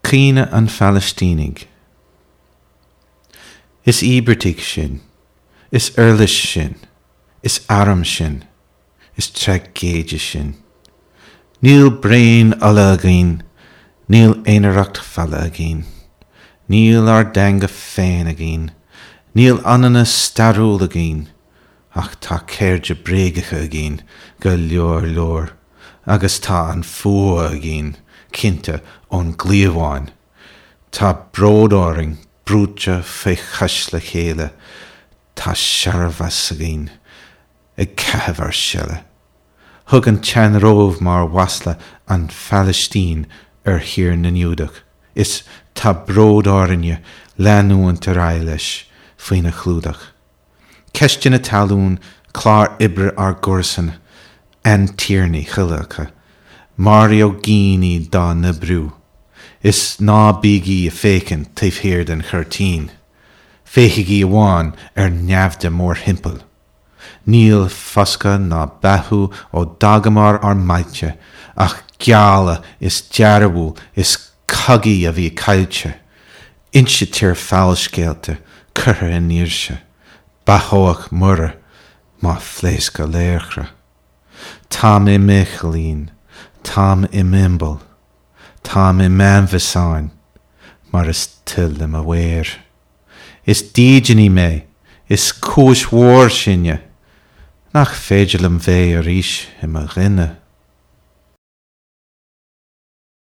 Caoineadh an Phalaistínigh. Is íobartaigh sinn. Is uirlis sinn. Is arm sinn. Is traigéide sinn. Níl braon ola againn, níl aonaracht fola againn. Níl ár dteanga féin againn, níl ionannas stairiúil againn, ach tá cairde bréagacha againn go leor leor, agus tá an fuath againn, cinnte, ón gcliabhán. Tá bród orainn brúite faoi chois le chéile, tá searbhas againn ag caitheamh ár seile. Thug an tsean-Róimh mar mhasla an Phalaistín ar thír na nGiúdach, is tá bród orainne leanúint ar aghaidh leis faoina chlúdach. Ceisteanna talún, clár oibre ár gcomharsan, aintiarnaí chuile acu, maraíodh daoine dá n-oibriú. Is ná bígí ag féachaint taobh thiar den chuirtín, féachaigí amháin ar naimhde mórthimpeall. Níl foscadh ná beathú ó d'fhágamar ár mbailte, ach gealladh is dearbhú is cogaí a bhí caillte. Insítear fabhalscéalta curtha i ndaoirse, beathóidh Muire má phléascadh laochra. Táim i m'fhichaillín, táim i m'iombail, táim i m'ainbhiosáin mar is toil le mo mhaor. Is dídeanaí mé, is cúis mhór sinne, nach féidir liom bheith arís i mo dhuine.